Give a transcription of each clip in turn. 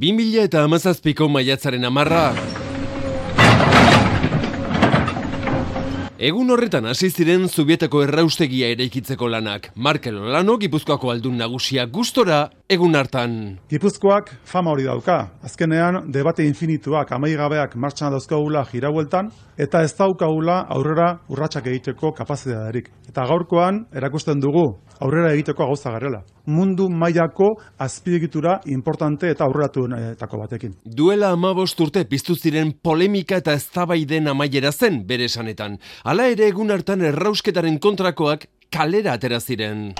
2017ko maiatzaren 10. Egun horretan hasi ziren Zubietako erraustegia eraikitzeko lanak. Markel Olano, Gipuzkoako aldun nagusia gustora egun hartan. Gipuzkoak fama hori dauka. Azkenean debate infinituak, amaigabeak martxan dauzkagula jiraueltan, eta ez daukagula aurrera urratsak egiteko kapazitaterik. Eta gaurkoan erakusten dugu aurrera egiteko gauza garela. Mundu mailako azpiegitura importante eta aurreratuenetako batekin. Duela 15 urte piztu ziren polemika eta eztabaiden amaiera zen bere esanetan. Hala ere egun hartan errausketaren kontrakoak kalera atera ziren.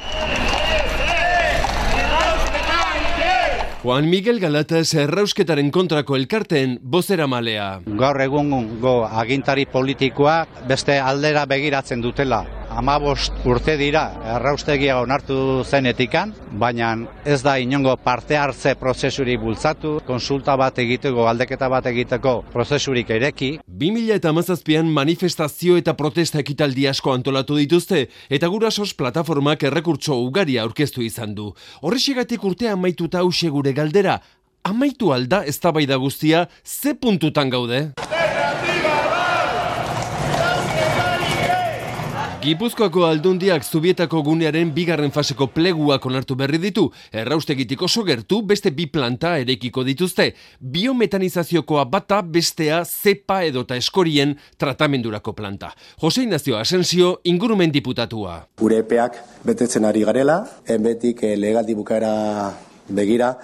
Juan Miguel Galatas errausketaren kontrako elkarteen bozeramalea. Gaur egungo agintari politikoa beste aldera begiratzen dutela. 15 urte dira erraustegia onartu zenetikan, baina ez da inongo parte hartze prozesurik bultzatu, konsulta bat egiteko, galdeketa bat egiteko prozesurik ireki. 2017an manifestazio eta protesta ekitaldi asko antolatu dituzte, eta Gurasos plataformak errekurtso ugari aurkeztu izan du. Horrexegatik urtea amaituta hauxe gure galdera, amaitu alda eztabaida guztia, ze puntutan gaude? Gipuzkoako aldundiak Zubietako gunearen bigarren faseko pleguak onartu berri ditu. Erraustegitik oso gertu beste 2 planta eraikiko dituzte. Biometanizaziokoa bata bestea zepa edota eskorien tratamendurako planta. Jose Ignacio Asensio, ingurumen diputatua. Gure epeak betetzen ari garela, betik legaldi bukaera begira,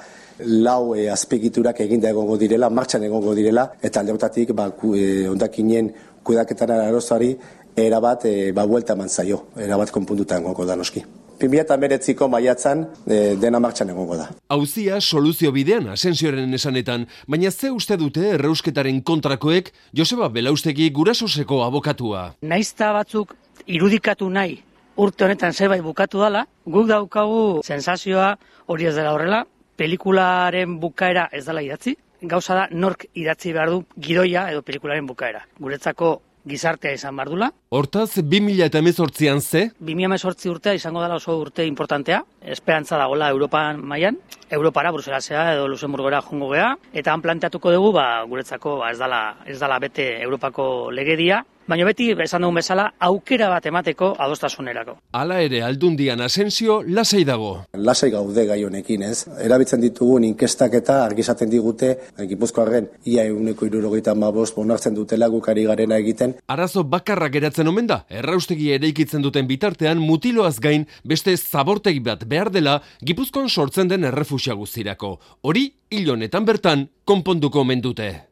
4 azpiegiturak eginda egongo direla, martxan egongo direla, eta alde horretatik hondakinen kudeaketaren arozari erabat buelta eman zaio, erabat konpuntuta egongo da noski. 2019ko maiatzan dena martxan egongo da. Auzia soluzio bidean Asensioren esanetan, baina ze uste dute errausketaren kontrakoek Joseba Belaustegi Gurasoseko abokatua. Naizta batzuk irudikatu nahi urte honetan zerbait bukatu dela, guk daukagu sensazioa hori ez dela horrela, pelikularen bukaera ez dela idatzi, gauza da nork idatzi behar du gidoia edo pelikularen bukaera. Guretzako gizartea izan behar dula. Hortaz, 2018an ze? 2018 urtea izango dela oso urte importantea. Esperantza dagoela Europan mailan, Europara, Bruselasea edo Luxemburgora jongo gea, eta han planteatuko dugu, guretzako ez dala bete Europako legedia, baina beti, esan dugun bezala, aukera bat emateko adostasunerako. Hala ere, aldundian Asensio lasai dago. Lasai gaude gai honekin, ez? Erabiltzen ditugun inkestak eta argizaten digute, Gipuzkoarren ia 175 onartzen dutela guk ari garena egiten. Arazo bakarra geratzen omen da, erraustegi eraikitzen duten bitartean mutiloaz gain beste zabortegi bat behar dela Gipuzkoan sortzen den errefusia guztirako. Hori, hil honetan bertan, konponduko omen dute.